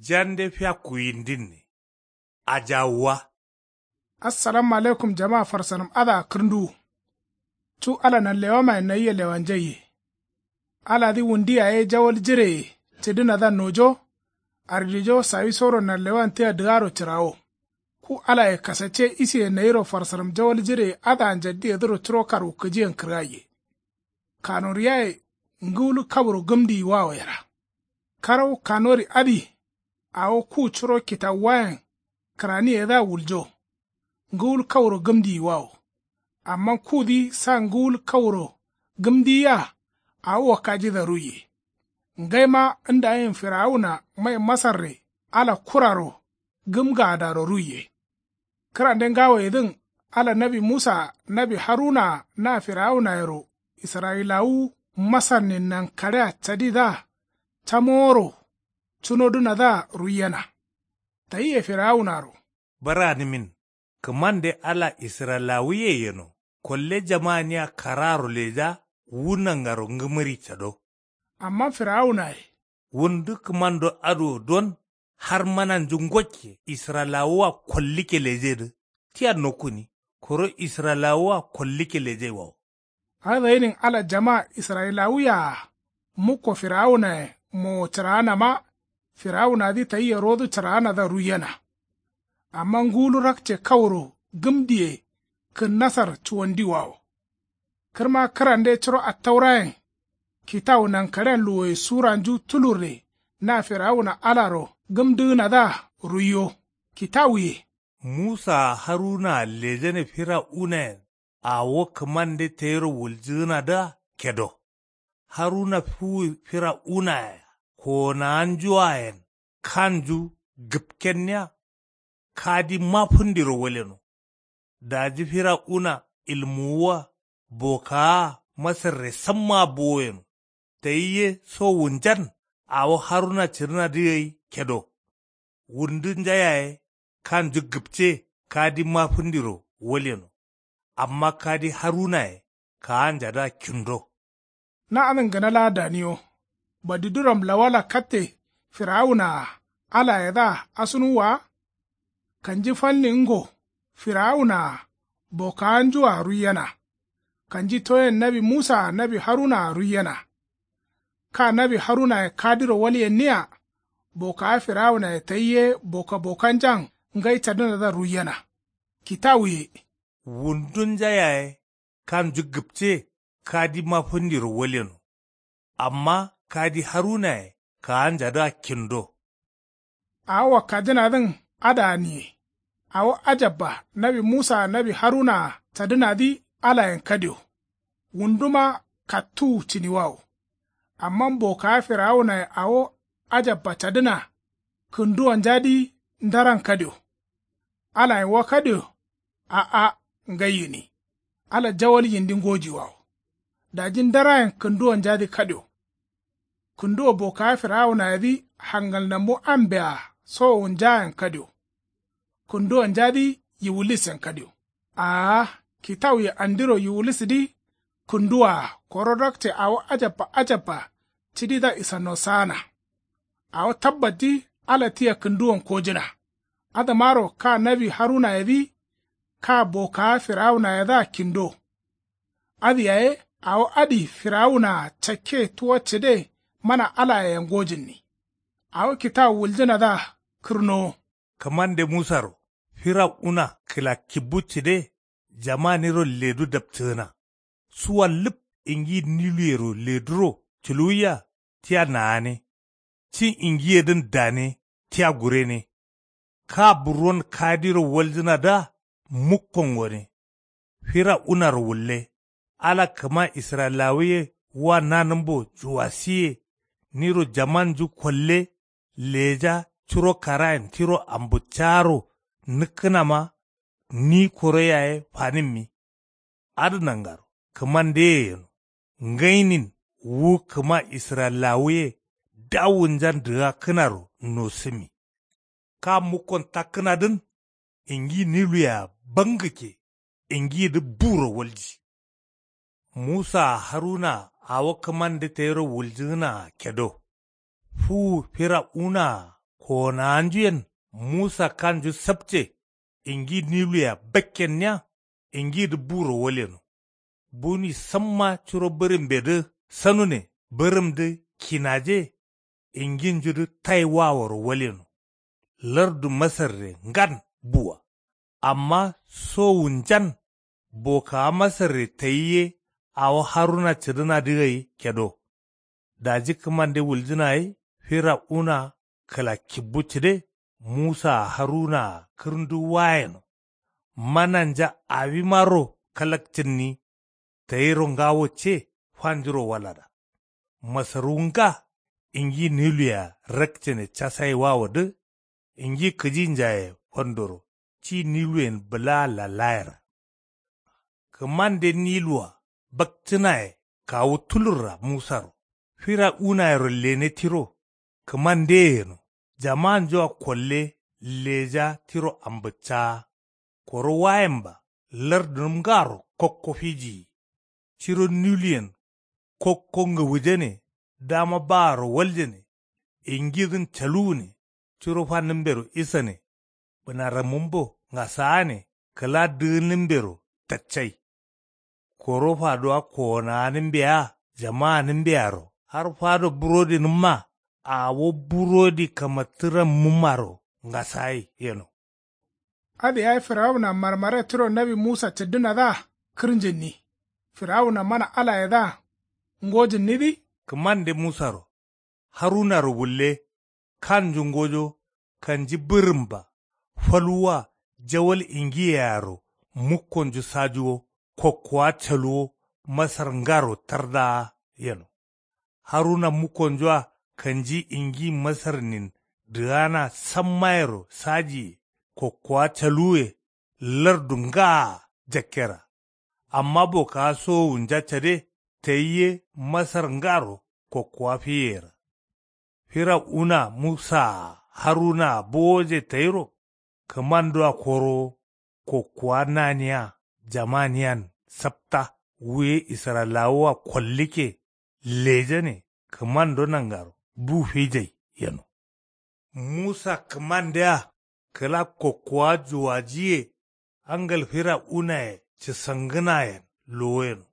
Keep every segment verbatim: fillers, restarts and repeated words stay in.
Jande fiakku yindinne. Ajawuwa. Assalamu alaikum jama farsanǝm adǝa kǝrnduwu. Cu ala nanlewamayen nayia lewanjaiye. Aladǝ wundi yaye jawal jireye cǝdǝnadǝa nojo. Ardijo sawisoro nanlewan tia dǝgaro cǝrawo. Ku alaye kasacce isiye nayiro farsanǝm jawal jireye adǝa njaddiyedǝro curo karwukǝjiyen kǝrgaiye. Kanoriyaye ngǝwul kauro gǝmdiyiwawo yera. Karau kanori adǝ. Awo ku curo kitawuwayen kǝraniyedǝa wuljo. Ngǝwul kauro gǝmdiyiwawo. Amma kudǝ sa ngǝwul kauro gǝmdiyia. Awo wakkajidǝa ruiye. Ngaima ndayin firawuna mai masarre ala kuraro gǝmgaadaro ruiye. Kǝrande ngawoyedǝn ala nawi musaa nawi harunaa na firawunayero israyilawu masarnin nankaɍea cadidǝa camoworo cunodǝnadǝa ruiyena. Tayia firawunaro. Baranǝmin kǝmande ala israyilawuye yeno. Kolle jamaniya karaaro leja wu nangaro ngǝmǝri cado. Amma firawunaye. Wundu kǝmando adǝ wo don har mananju ngokke israyilawua kollikke lejedǝ. Tia nokkuni koro israyilawua kollikke lejaiwawo. Adǝ gainin ala jama israyilawuye-a mukko firawunaye mowo cǝraanama. Firawunadǝ tayia rodǝ cǝraanadǝa ruiyena. Amma ngulu rakce kauro gǝmdiye kǝnnasar cuwandiwawo. Kǝrma kǝrande curo attaurayen kitawu nankaɍean luwoye suranju tulurre na firawuna alaro gǝmdǝgǝnadǝa ruiyo. Kitawuye. Musaa harunaa lejane firawunayen awo kǝmande tayiro wuljǝgǝnadǝa kedo. Haruna fuwu firawunaye kowonawanjuayen kanju gǝpkenniya. Kadima fǝndiro waleno. Daji firawuna ilmuwuwa bokawa masarre sammaa bowoyeno. Tayi ye so wunjan awo haruna cǝrǝnadǝ gai kedo. Wundu nja yaye kanju gǝpce kadima fǝndiro waleno. Amma kadi harunaye kaanjadǝa kindo. Na adǝn gǝna laa daniyo. Badiduram lawala katte firawunaa alayedǝa asunuwwa wa. Kanji falnin ngo firawunaa bokawanjua ruiyena. Kanji toyen nawi musaa nawi harunaa ruiyena. Ka nawi harunaye kadiro walyenniya. Bokawa firawunaye tayi ye boka bokanjan ngai cadǝnadǝa ruiyena. Kitawuye. Wundunja yaye kanju gǝpce kadima fǝndiro waleno. Amma kadi harunaye kaanjadǝa kindo. Awo wakkajǝnadǝn adǝa niye. Awo ajabba nawi musaa nawi harunaa cadǝnadǝ alayen kadio. Wunduma kattuwu cǝniwawo. Amma bokawa firawunaye awo ajabba cadǝna kǝnduwanjadǝ ndaran kadio. Alayen wa kadio. A'a ngai gǝni. Ala jawal yindi ngojiwawo. Daji ndarayen kǝnduwanjadǝ kadio. Kǝnduwo bokawa firawunayedǝ hangalnammu ambea sowowunjayen kadio. Kǝnduwanjadǝ yiwulisen kadio. Aa kitawuye andiro yiwulisǝdǝ kǝnduwaa koro rakce awo ajabba ajabba cǝdidǝa isannosaana. Awo tabbatdǝ ala tia kǝnduwon kojǝna. Adǝmaro ka nawi harunayedǝ ka bokawa firawunayedǝa kindo. Adǝ yaye awo adǝ firawunaa cakke tuwa cǝde mana alaye ngojǝnni. Awo kitawu wuljǝnadǝa kǝrnowo. Kǝmande musaro firawuna kǝla kibbu cǝde jamaniro ledu dapcǝgǝna. Suwa lǝp ingi niluyero leduro culuwiya tia naane. Cin ingiyedǝn dane tia gurene. Ka burwon kadiro waljǝnadǝa mukkon gone. Firawunaro wulle. Ala kǝma israyilawuye wa nanǝmbo juwasiye. Niro jamanju kolle leja curo karayen tiro ambuccaro nǝkkǝnama. Ni koro yaye fanǝmmi. Adǝ nangaro kǝmandeye yeno. Ngainin wu kǝma israyilawuye dawunjan dǝgakkǝnaro nosǝmi. Ka mukkon takkǝnadǝn ingi niluyea bangǝkke. Ingidǝ buro walji. Musaa harunaa awo kǝmande tayiro wuljǝgǝnaa kedo. Fuwu firawunaa Kowonawanjuyen musa kanju sapce ingi niluyea bakkenniya. Ingidǝ buro walyeno. Buni samma curo bǝrimbedǝ sanune bǝrǝmdǝ kinaje. Inginjudǝ tai waworo walyeno. Lardu masarre ngan buwa. Amma sowunjan bokawa masarre tayi ye awo haruna cǝdǝnadǝ gai kedo. Daji kǝmande wuljǝna ye firawuna kǝla kibbu cǝde. Musaa harunaa kǝrǝndu wayeno. Mananja awimaro kalakcǝnni. Tayiro ngawo ce fanjuro walada. Masarwu nga ingi niluyea rakcene casai wawodǝ. Ingi kǝjinjaye fandoro ci niluyen bǝlaa lalayera. Kǝmande niluwa bakcǝnaye kawu tulurra musaro. Firawunayero lene tiro. Kǝmandeye yeno jamanjua kolle leja tiro ambǝccaa. Koro wayemba lardunǝm ngaro kokko fijiyi. Ciro niluyen kokko ngǝwujane. Dama baaro waljane. Ingidǝn caluwune. Curo fannǝmbero isane. Bǝnarammumbo ngasaane kǝla dǝgǝnǝmbero taccai. Koro fadowa kowonawanǝmbea jamaanǝmbearo har fado burodinǝmma. Awo burodi kamattǝrammumaro ngasaye yeno. Adǝ yayi firawuna marmare tiro nawi musa cǝddǝnadǝa kǝrnjǝnni. Firawuna mana alayedǝa ngojǝnnidǝ. Kǝmande musaro harunaro wulle. Kanju ngojo kanji bǝrǝmba. Falwuwa jawal ingiyearo mukkonju sajuwo. Kokkowa caluwo masar ngaro tardaa yeno. Haruna mukkonjua kanji ingi masarnin dǝgana sammayero sajiye. Kokkowa caluwuye lardu ngaa jakkera. Amma bokawa sowowunja cade tayi ye masar ngaro kokkowa fiyeyera. Firawuna musaa harunaa bowoje tayiro. Kǝmandoa korowo kokkowa naniya jamaniyan sapta wuye israyilawawua kollikke. Lejane kǝmando nangaro bu fijai yeno. Musa kǝmandea kǝla kokkowa juwajiye. Angal firawunaye cǝsangǝnayen lowoyeno.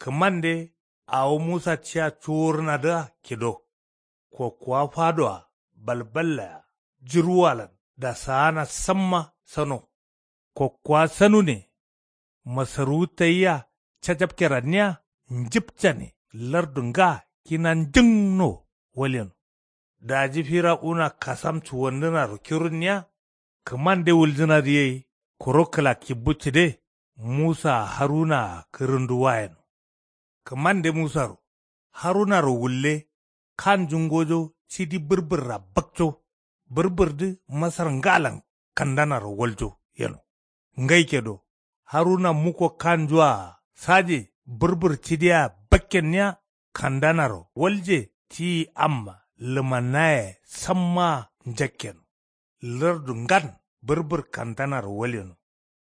Kǝmande awo musa ciya cuwurnadǝa kido. Kokkowa fadoa balballaya jurwalan dasaana samma sano. Kokkowa sanune. Masarwu tayia cajapkeranniya njǝpcane lardu nga kina njǝngno. Walyeno. Daji firawuna kasam cuwandǝnaro kirunniya. Kǝmande wuljǝnadǝ yai koro kǝla kibbu cǝde. Musaa harunaa kǝrǝndu wayeno. Kǝmande musaro harunaro wulle. Kanju ngojo cidi bǝrbǝrra bakco. Bǝrbǝrdǝ masar ngalan kandanaro waljo yeno. Ngai kedo haruna mukko kanjua saje bǝrbǝr cidiyea bakkenniya. Kandanaro walje tiyi amma lǝmannaye sammaa njakkeno. Lardu ngan bǝrbǝr kandanaro walyeno.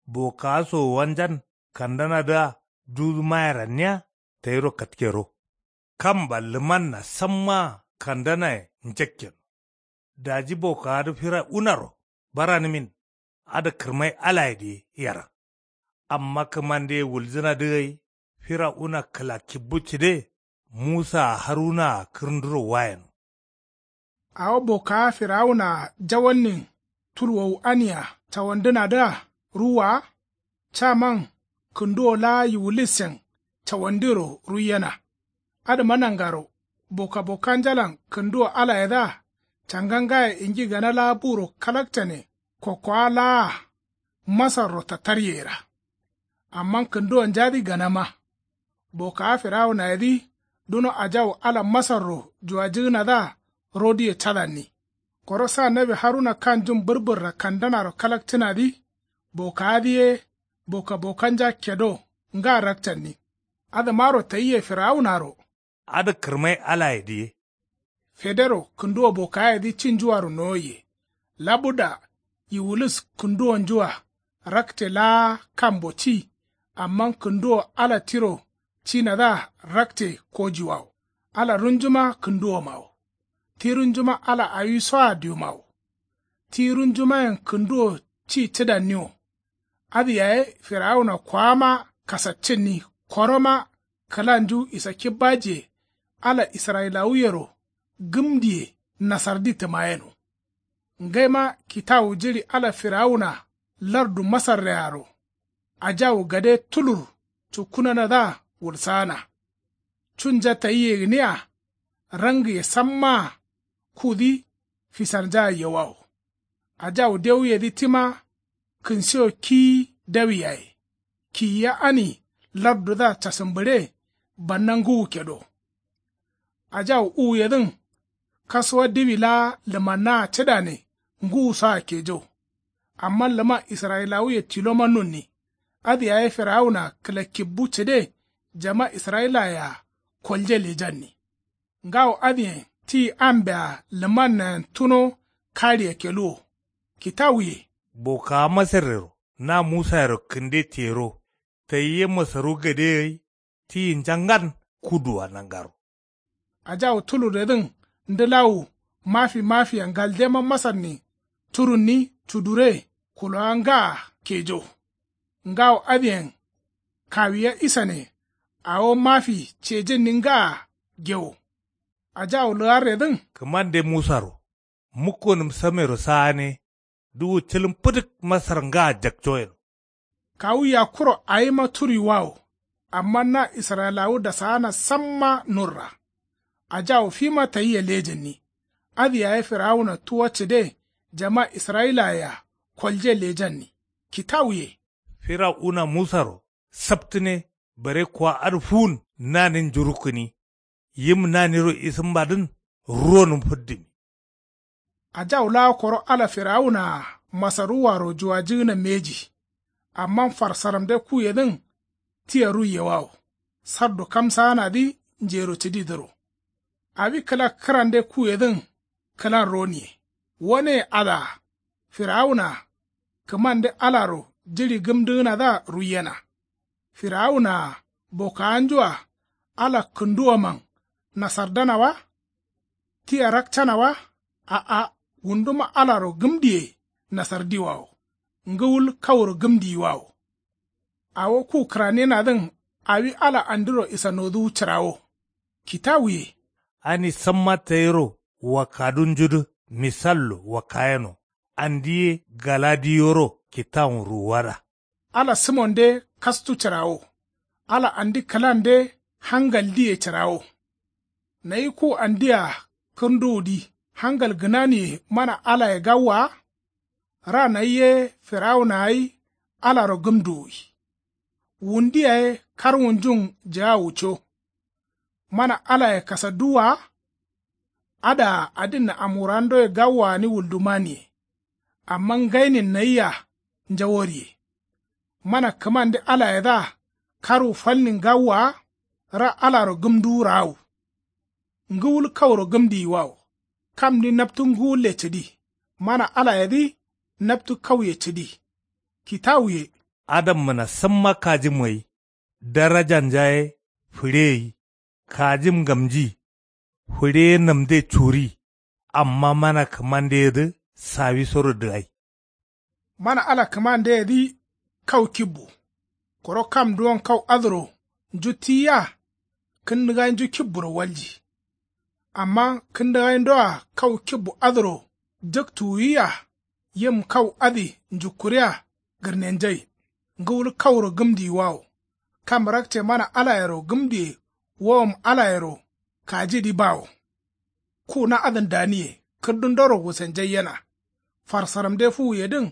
Bokawa sowanjan kandanadǝa dudu mayeranniya. Tayiro katkero. Kamba lǝmanna sammaa kandanaye njakkeno. Daji bokawadǝ firawunaro baranǝmin. Adǝ kǝrmai alayedǝ ye yaran. Amma kǝmandeye wuljǝnadǝ gai firawuna kǝla kibbu cǝde. Musaa harunaa kǝrǝnduro wayeno. Awo bokawa firawunaa jawalnin tulwowu ania cawandǝnadǝa ruwwa wa. Caman kǝnduwo laa yiwulissen cawandiro ruiyena. Adǝma nangaro bokabokanjalan kǝnduwo alayedǝa canga ngaye ingi gana laa buro kalakcane. Kokkowa laa masarro tattaryeyera. Amma kǝnduwonjadǝ ganama. Bokawa firawunayedǝ duno ajawu ala masarro juwajǝgǝnadǝa rodǝye cadanni. Koro sa nawi haruna kanjun bǝrbǝrra kandanaro kalakcǝnadǝ. Bokawadǝ ye bokabokanja kedo nga rakcanni. Adǝmaro tayiye firawunaro. Adǝ kǝrmai alayedǝ ye. Federo kǝnduwo bokayedǝ cinjuaro nowoiye. Labuda yiwulis kǝnduwonjua rakce laa kambo ci. Amma kǝnduwo ala tiro cinadǝa rakce kojiwawo. Ala runjuma kǝnduwomawo. Ti runjuma ala awisoa diwumawo. Ti runjumayen kǝnduwo ci cǝdanniwo. Adǝ yaye firawuna koama kasaccinni. Koroma kǝlanju isakki bajiye ala israyilawuyero gǝmdiye nasardi tǝmayeno. Ngaima kitawu jiɍi ala firawuna lardu masarrearo ajawu gade tulur cukkunanadǝa wulsaana. Cunja tayia gǝnia rangǝye sammaa kudǝ fisarnjaa yewawo. Ajawu dewuyedǝ tima kǝnsiwo kiyi dawi yaye. Kiyiya ani lardudǝa casǝmbǝɍe banna ngǝwu kedo. Ajawu uwuyedǝn kasuwa diwi laa lǝmannaa cǝdane ngǝwusoa kejo. Amma lǝman israyilawuye tiloma nunni. Adǝ yaye firawuna kǝlakkibbu cǝde jama israyilayea kolje lejanni. Ngawo adǝyen ti ambea lǝmannayen tuno kaɍiya keluwo. Kitawuye. Bokawa masarrero na musayero kǝnde tiyero tayi ye masaru gade gai. Tiyinja ngan kuduwa nangaro. Ajawu tulurredǝn ndǝlawu mafi mafiya ngaldema masarni turunni cudure kulowa ngaa kejo. Ngawo adǝyen kawiya isane awo mafi cejǝnni ngaa gewo. Ajawu lǝgarredǝn. Kǝmande musaro mukkonǝm samero saane duwu cǝlǝm fǝdǝk masar ngaa jakcoyeno. Kawu yakkuro awima turuiwawo. Amma na israyilawu dasaana samma nurra. Ajawu fima tayia lejǝnni. Adǝ yaye firawuna tuwa cǝde jama israyilayea kolje lejanni. Kitawuye. Firawuna musaro saptǝne bare kuwa adǝ fuwun nanin njurukkǝni. Yim naniro isǝmbadǝn ruwonǝm fǝddǝmi. Ajawu laa koro ala firawunaa masaruwaro juwajǝgǝna mbeji. Amma farsaramde kuyedǝn tia ruiyewawo. Sardu kamsaanadǝ njero cǝdidǝro. Awi kǝla kǝrande kuyedǝn kǝlan roniye. Waneye adǝa firawunaa kǝmande alaro jiɍi gǝmdǝgǝnadǝa ruiyena. Firawunaa bokawanjua ala kǝnduwoman nasardana wa? Tia rakcana wa? A'a. Wunduma alaro gǝmdiye nasardiwawo. Ngǝwul kauro gǝmdiyiwawo. Awo ku kǝraniyenadǝn awi ala andiro isanoduwu cǝrawo. Kitawuye. Ani samma tayiro wakkadunjudǝ misallo wakkayeno. Andi ye galadiyoro kitawun ruwuwada. Ala sǝmonde kastu cǝrawo. Ala andi kǝlande hangaldiye cǝrawo. Nayi ku andia kǝrnduwudǝ hangal gǝnaniye mana alaye gawwa wa? Ra nayi ye firawuna gai alaro gǝmduwwi. Wundu yaye karwunjun jǝgawuco. Mana alaye kasadduwwa wa? Adǝa adinna amurandoye gawwa gǝni wuldumaniye. Amma ngainin nayia njaworiye. Mana kǝmande alayedǝa karwu falnin gawwa wa? Ra alaro gǝmduwu raawu. Ngǝwul kauro gǝmdiyiwawo. Kamdǝ naptu ngǝwulle cǝdi. Mana alayedǝ naptu kauye cǝdi. Kitawuye. Adammǝna samma kajim gai darajanja ye fǝɍe gai. Kajim ngamji. Fǝɍe ye namde curi. Amma mana kǝmandeyedǝ sawisoro dǝgai. Mana ala kǝmandeyedǝ kau kibbu. Koro kam duwon kau adǝro nju tiyia kǝndǝgainju kibburo walji. Amma kǝndǝgaindoa kau kibbu adǝro jǝktuwwiyia. Yim kau adǝ njukkuria gǝrnenjai. Ngǝwul kauro gǝmdiyiwawo. Kam rakce mana alayero gǝmdiye wowom alayero kajidǝ bawo. Ku na adǝn daniye kǝrdundoro wusenjai yena. Farsaramde fuwuyedǝn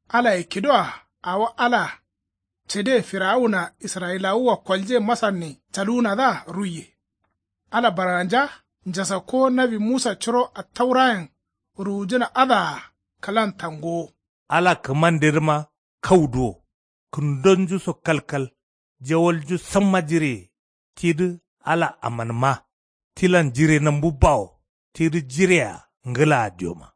alaye kidoa awo ala cǝde firawuna israyilawua kolje masarnin caluwunadǝa ruiye. Ala barganja njasakkowo nawi musa curo attaurayen ruwujǝna adǝa kǝlan tangowo. Ala kǝmandedǝma kauduwo. Kǝndonjuso kalkal jawalju samma jireye. Tidǝ ala amanma. Tilan jire nambu bawo. Tidǝ jirea ngǝlaa dioma.